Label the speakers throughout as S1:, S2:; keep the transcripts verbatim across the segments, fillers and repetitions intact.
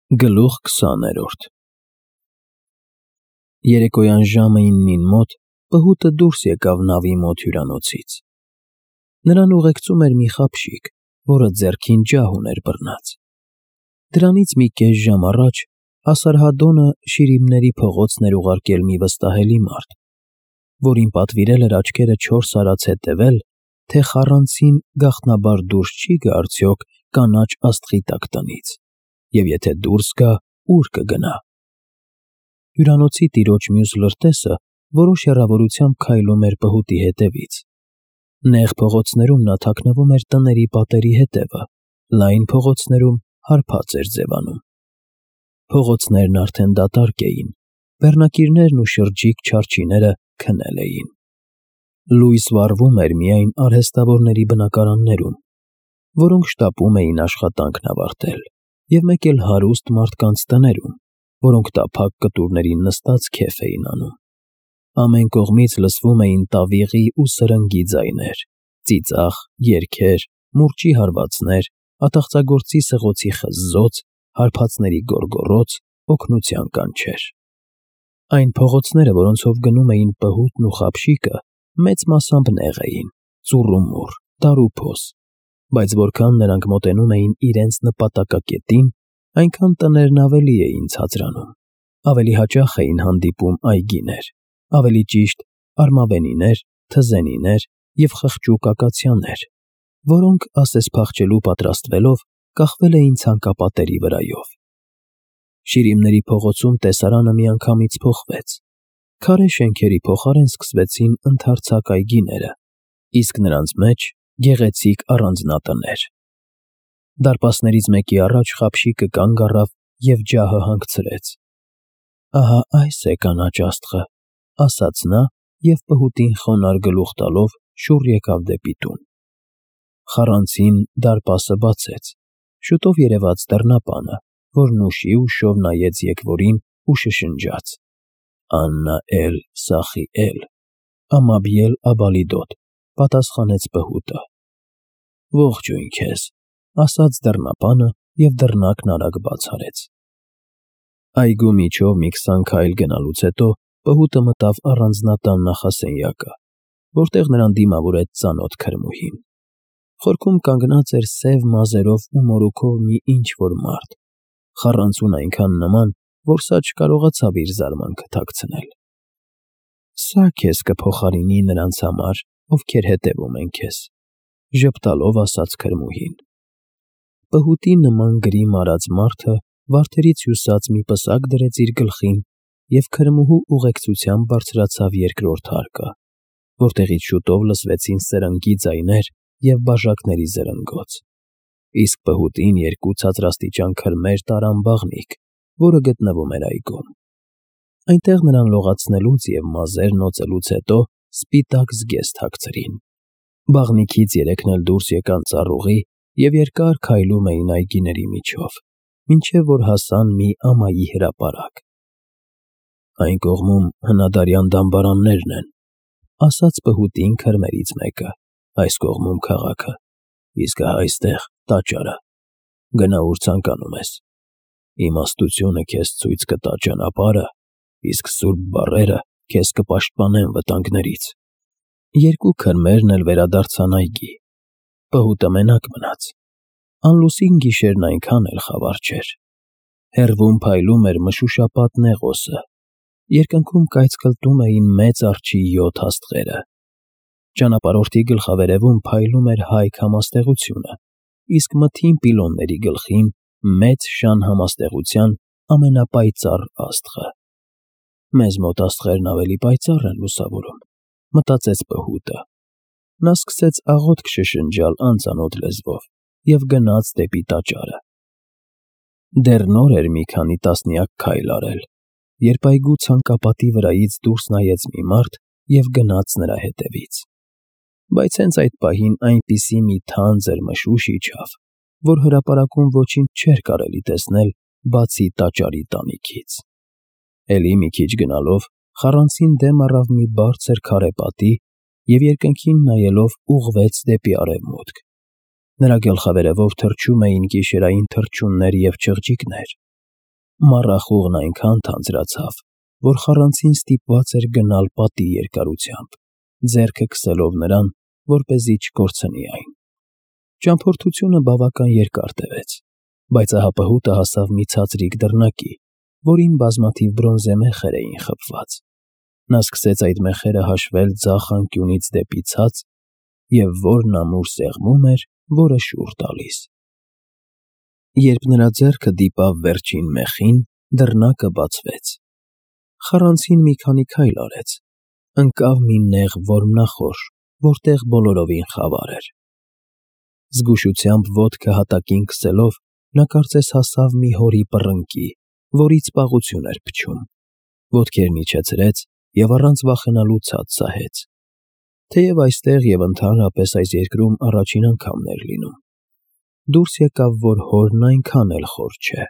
S1: Գլուխ քսաներորդ Երեկոյան ժամը իննին մոտ պհուտը դուրս եկավ նավի մոտ հյուրանոցից. նրան ուղեկցում էր մի խաբշիկ, որը ձեռքին ջահ ուներ բռնած. դրանից մի կես ժամ առաջ Ասարհադոնը Շիրիմների փողոցն էր ուղարկել մի վստահելի մարդ, որին պատվիրել էր աչքերը չորս արած հետևել, թե խառանցին գաղտնաբար դուրս չի գա արդյոք կանաչ աստղի տակ տնից, և եթե դուրս գա, ուր կգնա։ Հյուրանոցի տիրոջ մյուս լրտեսը որոշ հեռավորությամբ քայլում էր պհուտի հետևից. նեղ փողոցներում նա թաքնվում էր տների պատերի հետևը, լայն փողոցներում հարբած էր ձևանում։ Փողոցներն արդեն դատարկ էին, բեռնակիրներն ու շրջիկ չարչիները քնել էին։ Լույս վառվում էր միայն արհեստավորների բնակարաններում, որոնք շտապում էին աշխատանքն ավարտել, և մեկ էլ հարուստ մարդկանց տներում, որոնք տափակ կտուրներին նստած քեֆ էին անում։ Ամեն կողմից լսվում էին տավիղի ու սրնգի ձայներ, ծիծաղ, երգեր, մուրճի հարվածներ, ատաղծագործի սղոցի խզզոց, հարբածների գոռգոռոց, օգնության կանչեր։ Այն փողոցները, որոնցով գնում էին պհուտն ու խաբշիկը, մեծ մասամբ նեղ էին, ծուռումուռ, դարուփոս, բայց որքան նրանք մոտենում էին իրենց նպատակակետին, այնքան տներն ավելի էին ցածրանում, ավելի հաճախ էին հանդիպում այգիներ, ավելի ճիշտ արմավենիներ, թզենիներ և խղճուկ ակացիաներ, որոնք, ասես փախչելու պատրաստվելով, կախվել էին ցանկապատերի վրայով։ Շիրիմների փողոցում տեսարանը միանգամից փոխվեց. քարե շենքերի փոխարեն սկսվեցին ընդարձակ այգիները, իսկ նրանց մեջ գեղեցիկ առանձնատներ։ Դարպասներից մեկի առաջ խաբշիկը կանգ առավ և ջահը հանգցրեց։ «Ահա այս է կանաչ աստղը», ասաց նա և պհուտին խոնարհ գլուխ տալով շուռ եկավ դեպի տուն։ Խառանցին դարպասը բացեց, շուտով երևաց դռնապանը, որն ուշի ուշով նայեց եկվորին ու շշնջաց. «Աննա էլ֊Սախիել, Ամաբիել Աբալիդոտ», պատասխանեց պհուտը։ «Ողջույն քեզ», ասաց դռնապանը և դռնակն արագ բաց արեց։ Այգու միջով մի քսան քայլ գնալուց հետո պհուտը մտավ առանձնատան նախասենյակը, որտեղ նրան դիմավորեց ծանոթ քրմուհին։ Խորքում կանգնած էր սև մազերով ու մորուքով մի ինչ֊որ մարդ, խառանցուն այնքան նման, որ սա չկարողացավ իր զարմանքը թաքցնել։ «Սա քեզ կփոխարինի նրանց համար, ովքեր հետևում են քեզ», ժպտալով ասաց քրմուհին։ Պհուտի նման գրիմ արած մարդը վարդերից հյուսած մի պսակ դրեց իր գլխին և քրմուհու ուղեկցությամբ բարձրացավ երկրորդ հարկը, որտեղից շուտով լսվեցին սրնգի ձայներ և բաժակների զրնգոց, իսկ պհուտին երկու ցածրաստիճան քրմեր տարան բաղնիք, որը գտնվում էր այգում։ Այնտեղ նրան լողացնելուց և մազերն օծելուց հետո սպիտակ զգեստ հագցրին։ Բաղնիքից երեքն էլ դուրս եկան ծառուղի և երկար քայլում էին այգիների միջով, մինչև որ հասան մի ամայի հրապարակ։ «Այն կողմում հնադարյան դամբարաններն են», ասաց պհուտին քրմերից մեկը, «այս կողմում քաղաքը, իսկ ահա այստեղ տաճարը։ Գնա ուր ցանկանում ես։ Իմաստությունը քեզ ցույց կտա ճանապարհը, իսկ սուրբ բառերը քեզ կպաշտպանեն վտանգներից»։ Երկու քրմերն էլ վերադարձան այգի։ Պհուտը մենակ մնաց։ Անլուսին գիշերն այնքան էլ խավար չէր։ Հեռվում փայլում էր մշուշապատ Նեղոսը, երկնքում կայծկլտում էին մեծ արջի յոթ աստղերը։ Ճանապարհորդի գլխավերևում փայլում էր հայք համաստեղությունը, իսկ մթին պիլոնների գլխին մեծ շան համաստեղության ամենապայծառ աստղը։ «Մեզ մոտ աստղերն ավելի պայծառ են լուսավորում», մտածեց պհուտը։ Նա սկսեց աղոթք շշնջալ անծանոթ լեզվով և գնաց դեպի տաճարը։ Դեռ նոր էր մի քանի տասնյակ քայլ արել, երբ այգու ցանկապատի վրայից դուրս նայեց մի մարդ և գնաց նրա հետևից։ Բայց հենց այդ պահին այնպիսի մի թանձր մշուշ իջավ, որ հրապարակում ոչինչ չէր կարելի տեսնել, բացի տաճարի տանիքից։ Էլի մի քիչ գնալով խառանցին դեմ առավ մի բարձր քարե պատի և երկնքին նայելով ուղղվեց դեպի արևմուտք։ Նրա գլխավերևով թռչում էին գիշերային թռչուններ և չղջիկներ, Մառախուղն այնքան թանձրացավ, որ խառանցին ստիպված էր գնալ պատի երկարությամբ, ձեռքը քսելով նրան, որպեսզի չկորցնի այն։ Ճամփորդությունը բավական երկար տևեց, բայց ահա պհուտը հասավ մի ցածրիկ դռնակի, որին բազմաթիվ բրոնզե մեխեր էին խփված։ Նա սկսեց այդ մեխերը հաշվել ձախ անկյունից դեպի ցած, և որն ամուր սեղմում էր, որը շուռ տալիս։ Երբ նրա ձեռքը դիպավ վերջին մեխին, դռնակը բացվեց։ Խառանցին մի քանի քայլ արեց, ընկավ մի նեղ որմնախորշ, որտեղ բոլորովին խավար էր։ Զգուշությամբ ոտքը հատակին քսելով, նա կարծես հասավ մի հորի պռնկի, որից պաղություն էր փչում, ոտքերն իջեցրեց և առանց վախենալու ցած սահեց։ Թեև այստեղ և ընդհանրապես այս երկրում առաջին անգամն էր լինում։ Դուրս եկավ, որ հորն այնքան էլ խոր չէ։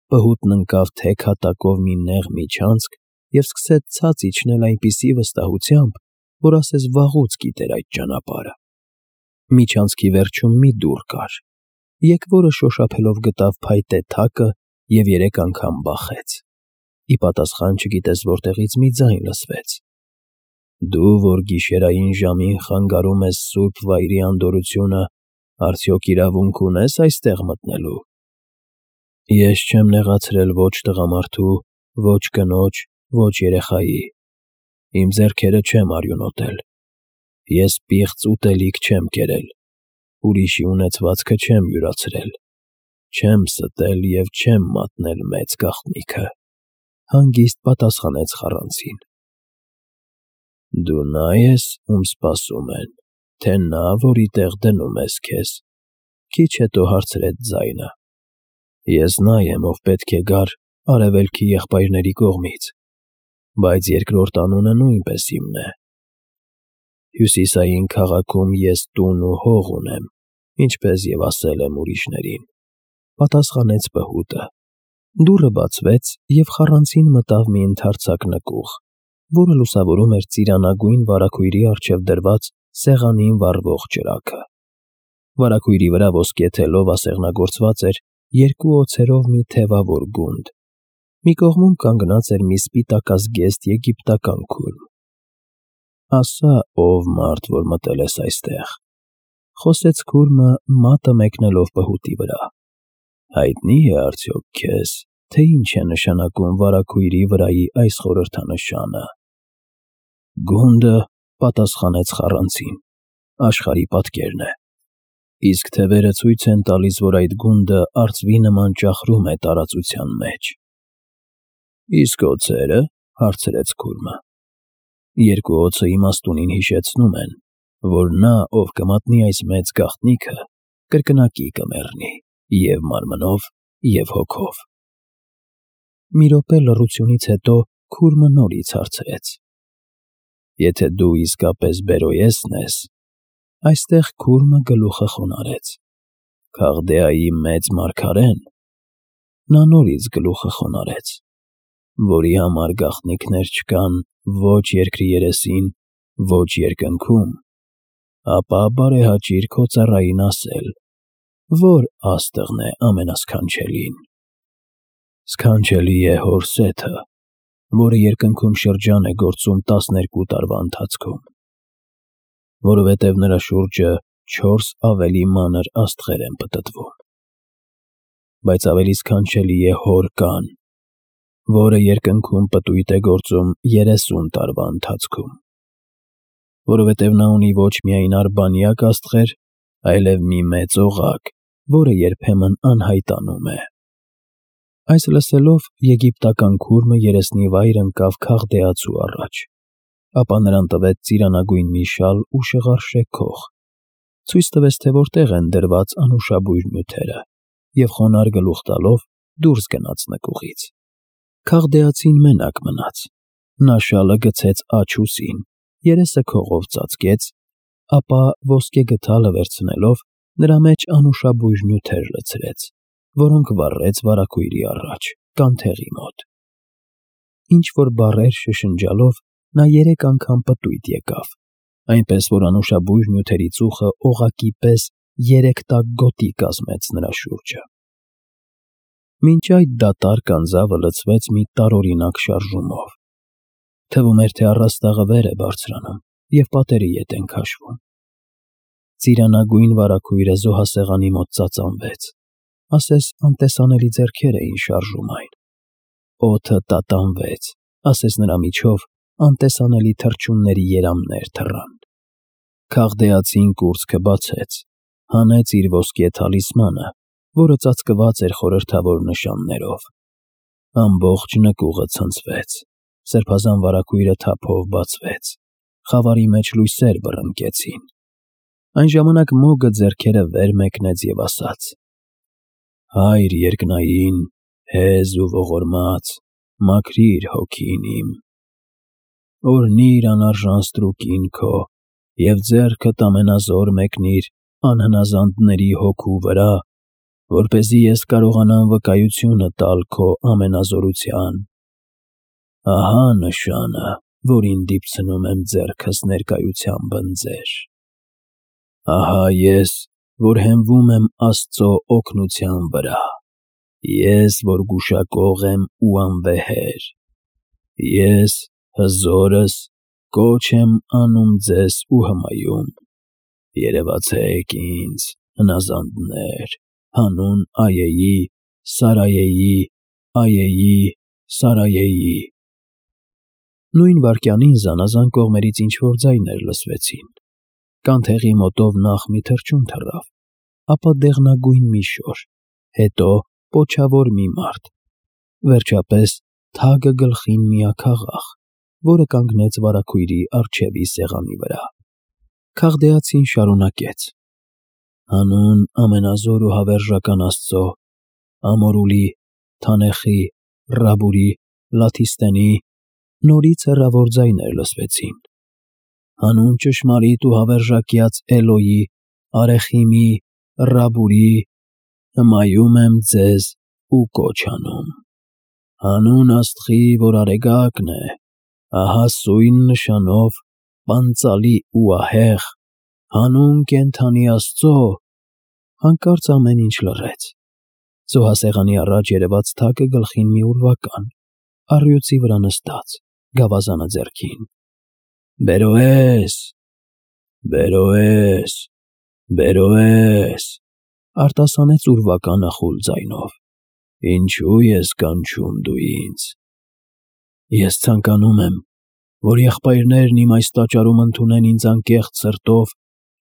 S1: Պհուտն ընկավ թեք հատակով մի նեղ միջանցք և սկսեց ցած իջնել այնպիսի վստահությամբ, որ ասես վաղուց գիտեր այդ ճանապարհը։ Միջանցքի վերջում մի դուռ կար, եկվորը շոշափելով գտավ փայտե թակը և երեք անգամ բախեց։ Ի պատասխան չգիտես որտեղից մի ձայն լսվեց. «Դու, որ գիշերային ժամին խանգարում ես սուրբ վայրի անդորրությունը, արդյոք իրավունք ունե՞ս այստեղ մտնելու»։ Ես չեմ նեղացրել ոչ տղամարդու, ոչ կնոջ, ոչ երեխայի։ Իմ ձեռքերը չեմ արյունոտել։ Ես պիղծ ուտելիք չեմ կերել, ուրիշի ունեցվածքը չեմ յուրացրել, չեմ ստել և չեմ մատնել մեծ գաղտնիքը, հանգիստ պատասխանեց խառանցին։ Դու նա ես, ում սպասում են, թե նա, որի տեղ դնում ես քեզ, քիչ հետո հարցրեց ձայնը։ Ես նա եմ, ով պետք է գար արևելքի եղբայրների կողմից, բայց երկրորդ անունը նույնպես իմն է։ Հյուսիսային քաղաքում ես տուն ու հող ունեմ, ինչպես և ասել եմ ուրիշներին, պատասխանեց պհուտը։ Դուռը բացվեց, և խառանցին մտավ մի ընդարձակ նկուղ, որը լուսավորում էր ծիրանագույն վարագույրի առջև դրված սեղանին վառվող ճրագը։ Վարագույրի վրա ոսկե թելով ասեղնագործված էր երկու օձերով մի թևավոր գունդ։ Մի կողմում կանգնած էր մի սպիտակազգեստ եգիպտական քուրմ։ Ասա, ով մարդ, որ մտել ես այստեղ, խոսեց քուրմը, մատը մեկնելով պհուտի վրա, հայտնի է արդյոք քեզ, թե ինչ է նշանակում վարագույրի վրայի այս խորհրդանշանը։ Գունդը, պատասխանեց խառանցին, աշխարհի պատկերն է, իսկ թևերը ցույց են տալիս, որ այդ գունդը արծվի նման ճախրում է տարածության մեջ։ Իսկ օձերը, հարցրեց քուրմը։ Երկու օձը իմաստունին հիշեցնում են, որ նա, ով կմատնի այս մեծ գաղտնիքը, կրկնակի կմեռնի և մարմնով, և հոգով։ Մի րոպե լռությունից հետո քուրմը նորից հարցրեց. Եթե դու իսկապես Բերոյեսն ես, այստեղ քուրմը գլուխը խոնարհեց, Քաղդեայի մեծ մարգարեն։ Նա նորից գլուխը խոնարհեց, որի համար գաղտնիքներ չկան ոչ երկրի երեսին, ոչ երկնքում, ապա բարեհաճիր քո ծառային ասել, որ աստղն է ամենասքանչելին։ Սքանչելի է հոր Սեթը, որը երկնքում շրջան է գործում տասներկու տարվա ընթացքում, որովհետև նրա շուրջը չորս ավելի մանր աստղեր են պտտվում։ Բայց ավելի սքանչելի է հոր Կան, որը երկնքում պտույտ է գործում երեսուն տարվա ընթացքում, որովհետև նա ունի ոչ միայն արբանյակ աստղեր, այլև մի մեծ օղակ, որը երբեմն անհայտանում է։ Այս լսելով եգիպտական քուրմը երեսնիվայր ընկավ քաղդեացու առաջ, ապա նրան տվեց ծիրանագույն մի շալ ու շղարշե քող, ցույց տվեց, թե որտեղ են դրված անուշաբույր նյութերը, և խոնարհ գլուխ տալով դուրս գնաց նկուղից։ Քաղդեացին մենակ մնաց, նա շալը գցեց աջ ուսին, երեսը քողով ծածկեց, ապա ոսկե գդալը վերցնելով նրա մեջ անուշաբույր նյութեր լցրեց, որոնք վառեց վարագույրի առաջ, կանթեղի մոտ։ Ինչ-որ բառեր շշնջալով նա երեք անգամ պտույտ եկավ, այնպես որ անուշաբույր նյութերի ծուխը օղակի պես երեք տակ գոտի կազմեց նրա շուրջը։ Մինչ այդ դատարկ անձավը լցվեց մի տարօրինակ շարժումով. թվում էր, թե առաստաղը վեր է բարձրանում և պատերի ետ են քաշվում։ Ծիրանագույն վարագույրը զոհասեղանի մոտ ծածանվեց, ասես անտեսանելի ձեռքեր էին շարժում այն։ Օդը տատանվեց, ասես նրա միջով անտեսանելի թռչունների երամներ թռան։ Քաղդեացին կուրծքը բացեց, հանեց իր ոսկե թալիսմանը, որը ծածկված էր խորհրդավոր նշաններով։ Ամբողջ նկուղը ցնցվեց, սրբազան վարագույրը թափով բացվեց, խավարի մեջ լույսեր բռնկեցին։ Այն ժամանակ Մոգը ձեռքերը վեր մեկնեց և ասաց. «Հայր երկնային, հեզ ու ողորմած, մաքրիր հոգին իմ։ Օրհնի՛ր անարժան ստրուկին քո և ձեռքդ ամենազոր մեկնիր անհնազանդների հոգու վրա, որպեսզի ես կարողանամ վկայությունը տալ քո ամենազորության։ Ահա նշանը, որին դիպցնում եմ ձեռքս ներկայությամբ ընձեր։ Ահա ես, որ հենվում եմ Աստծո օգնության վրա, ես, որ գուշակող եմ ու անվեհեր, ես, հզորս, կոչ եմ անում ձեզ ու հմայում. երևացեք ինձ, հնազանդներ, հանուն Այեի, Սարայեի, Այեի, Սարայեի»։ Նույն վայրկյանին զանազան կողմերից ինչ-որ ձայներ լսվեցին։ Կանթեղի մոտով նախ մի թռչուն թռավ, ապա դեղնագույն մի շոր, հետո պոչավոր մի մարդ, վերջապես թագը գլխին մի աքաղաղ, որը կանգնեց վարագույրի առջևի սեղանի վրա։ Քաղդեացին շարունակեց. «Հանուն ամենազոր ու հավերժական Աստծո, Ամորուլի, Թանեխի, Ռաբուրի, Լաթիստնի», նորից հեռավոր ձայներ լսվեցին։ «Հանուն ճշմարիտ ու հավերժակյաց Էլոհի, Արեխիմի, Ռաբուրի, հմայում եմ ձեզ ու կոչ անում։ Հանուն Աստղի, որ Արեգակն է, ահա սույն նշանով, պանծալի ու ահեղ, հանուն կենդանի Աստծո»։ Հանկարծ ամեն ինչ լռեց։ Զոհասեղանի առաջ երևաց թագը գլխին մի ուրվական, առյուծի վրա նստած, գավազանը ձեռքին։ «Բերովե՛ս, բերովե՛ս, բերովե՛ս», արտասանեց ուրվականը խուլ ձայնով։ «Ինչու ես կանչում դու ինձ։ Ես ցանկանում եմ, որ եղբայրներն իմ այս տաճարում ընդունեն ինձ անկեղծ սրտով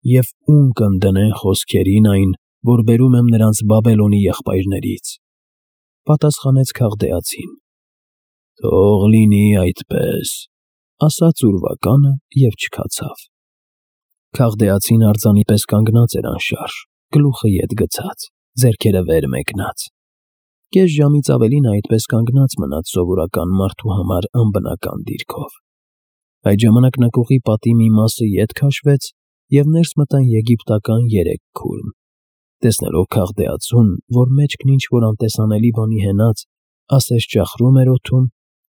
S1: և ունկնդրեն դնեն խոսքերին այն, որ բերում եմ նրանց Բաբելոնի եղբայրներից», պատասխանեց քաղդեացին։ «Թող լինի այդպես», ասաց ուրվականը և չքացավ։ Քաղդեացին արձանի պես կանգնած էր անշարժ, գլուխը ետ գցած, ձեռքերը վեր մեկնած։ Կես ժամից ավելի նա այդպես կանգնած մնաց սովորական մարդու համար անբնական դիրքով։ Այդ ժամանակ նկուղի պատի մի մասը ետ քաշվեց, և ներս մտան եգիպտական երեք քուրմ։ Տեսնելով քաղդեացուն, որ մեջքն ինչ-որ անտեսանելի բանի հենած, ասես ճախրում էր օդում,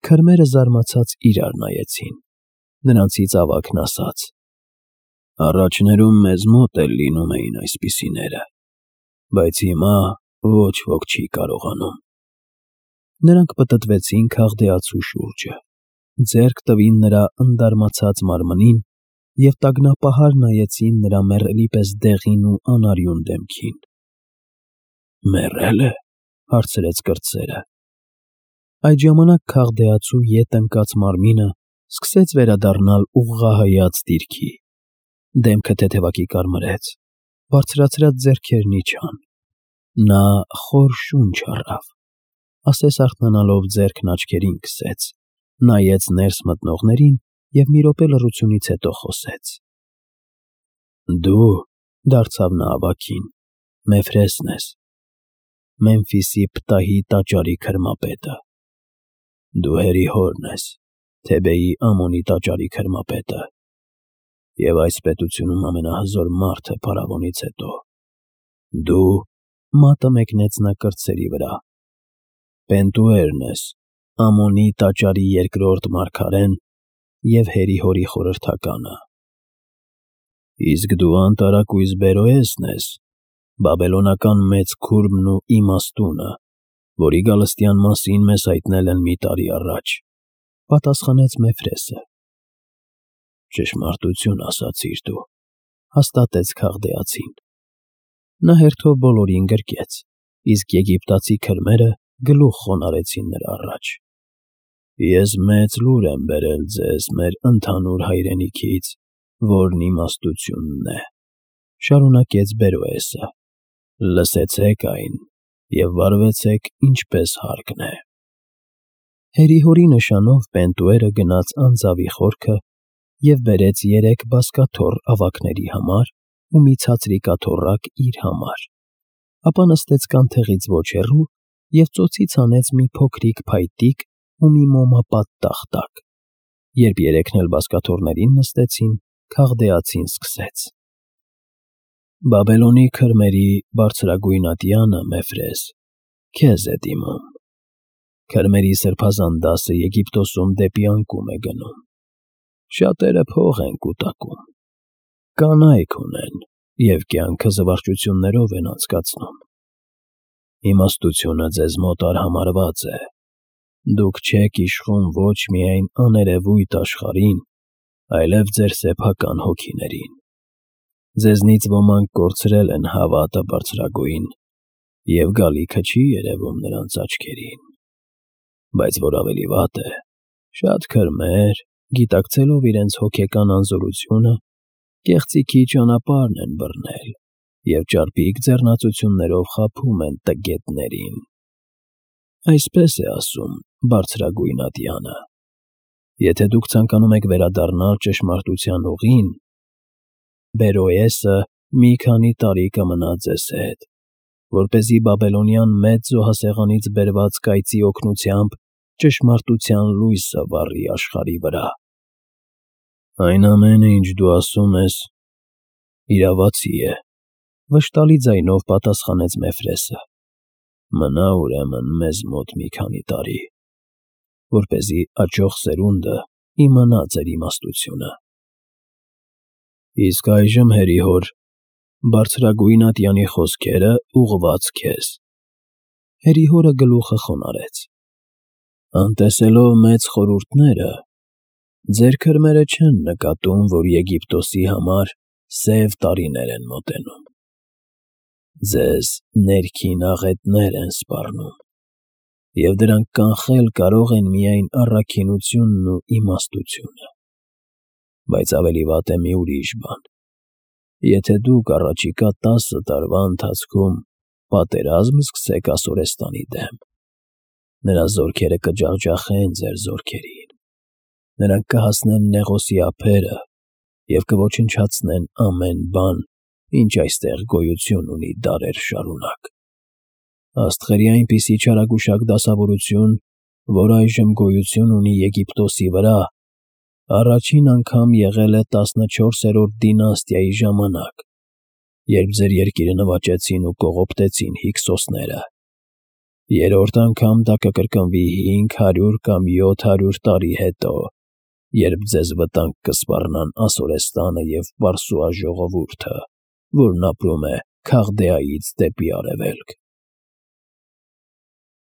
S1: քրմերը զարմացած իրար նայեցին։ Նրանցից ավագն ասաց. «Առաջներում մեզ մոտ էլ լինում էին այսպիսիները, բայց հիմա ոչ ոք չի կարողանում»։ Նրանք պտտվեցին քաղդեացու շուրջը, ձեռք տվին նրա ընդարմացած մարմնին և տագնապահար նայեցին նրա մեռելի պես դեղին ու անարյուն դեմքին։ «Մեռե՞լ է», հարցրեց կրտսերը։ Այդ ժամանակ քաղդեացու ետ ընկած մարմինը սկսեց վերադառնալ ուղղահայաց դիրքի։ Դեմքը թեթևակի կարմրեց, բարձրացրած ձեռքերն իջան։ Նա խոր շունչ առավ, ասես արթնանալով ձեռքն աչքերին քսեց, նայեց ներս մտնողներին և մի րոպե լռությունից հետո խոսեց. «Դու», դարձավ նա ավագին, «Մեֆրեսն ես, Մեմֆիսի Պտահի տաճարի քրմապետը։ Դու Հերիհորն ես, Թեբեի Ամոնի տաճարի քրմապետը, և այս պետությունում ամենահզոր մարդը փարավոնից հետո։ Դու», մատը մեկնեց նա կրտսերի վրա, «Պենտուերն ես, Ամոնի տաճարի երկրորդ մարգարեն և Հերիհորի խորհրդականը։ Իսկ դու անտարակույս Բերոեսն ես, բաբելոնական մեծ քուրմն ու իմաստունը, որի գալստյան մասին մեզ հայտնել են մի տարի առաջ, պատասխանեց Մեֆրեսը։ Ճշմարտություն ասացիր դու, հաստատեց քաղդեացին։ Նա հերթով բոլորին գրկեց, իսկ եգիպտացի քրմերը գլուխ խոնարհեցին նրա առաջ։ Ես մեծ լուր եմ բերել ձեզ մեր ընդհանուր հայրենիքից, որն իմաստությունն է, շարունակեց Բերոեսը։ Լսեցեք այն և վարվեցեք ինչպես հարկն է։ Հերի-հորի նշանով Պենտուերը գնաց անձավի խորքը և բերեց երեք բազկաթոռ ավագների համար ու մի ցածրիկաթոռակ իր համար, ապա նստեց կանթեղից ոչ հեռու և ծոցից հանեց մի փոքրիկ փայտիկ ու մի մոմապատ տախտակ։ Երբ երեքն էլ բազկաթոռներին նստեցին, քաղդեացին սկսեց. «Բաբելոնի քրմերի բարձրագույն ատյանը, Մեֆրես, քեզ է դիմում։ Քրմերի սրբազան դասը Եգիպտոսում դեպի անկում է գնում։ Շատերը փող են կուտակում, կանայք ունեն և կյանքը զվարճություններով են անցկացնում։ Իմաստությունը ձեզ մոտ արհամարհված է։ Դուք չեք իշխում ոչ միայն աներևույթ աշխարհին, այլև ձեր սեփական հոգիներին։ Ձեզնից ոմանք կորցրել են հավատը բարձրագույն, և գալիքը չի երևում նրանց աչքերին։ Բայց որ ավելի վատ է, շատ քրմեր, գիտակցելով իրենց հոգեկան անզորությունը, կեղծիքի ճանապարհն են բռնել և ճարպիկ ձեռնածություններով խաբում են տգետներին։ Այսպես է ասում բարձրագույն ատյանը. եթե դուք ցանկանում եք վերադառնալ ճշմարտության ուղին, Բերոեսը մի քանի տարի կմնա ձեզ հետ, որպեսզի Բաբելոնյան մեծ զոհասեղանից բերված կայծի օգնությամբ ճշմարտության լույսը վառի աշխարհի վրա։ Այն ամենը, ինչ դու ասում ես, իրավացի է, վշտալի ձայնով պատասխանեց Մեֆրեսը։ Մնա ուրեմն մեզ մոտ մի քանի տարի, որպեսզի աճող սերունդը իմանա ձեր իմաստությունը։ Իսկ այժմ, հերի հոր, բարձրագույն ատյանի խոսքերը ուղղված քեզ։ Հերի-հորը գլուխը խոնարհեց. Անտեսելով մեծ խորհուրդները, ձեր քրմերը չեն նկատում, որ Եգիպտոսի համար սև տարիներ են մոտենում։ Ձեզ ներքին աղետներ են սպառնում, և դրանք կանխել կարող են միայն առաքինությունն ու իմաստությունը։ Բայց ավելի վատ է մի ուրիշ բան. եթե դուք առաջիկա տասը տարվա ընթացքում պատերազմ սկսեք Ասորեստանի դեմ, նրա զորքերը կջախջախեն ձեր զորքերին, նրանք կհասնեն Նեղոսի ափերը և կոչնչացնեն ամեն բան, ինչ այստեղ գոյություն ունի դարեր շարունակ։ Աստղերի այնպիսի չարագուշակ դասավորություն, որ այժմ գոյություն ունի Եգիպտոսի վրա, առաջին անգամ եղել է տասնչորսերորդ դինաստիայի ժամանակ, երբ ձեր երկիրը նվաճեցին ու կողոպտեցին հykսոսները։ Երրորդ անգամ դա կկրկնվի հինգ հարյուր կամ յոթ հարյուր տարի հետո, երբ ձեզ վտանգ կսպառնան Ասորեստանը և Պարսուաժողովուրդը, որն ապրում է Քաղդեայից դեպի արևելք։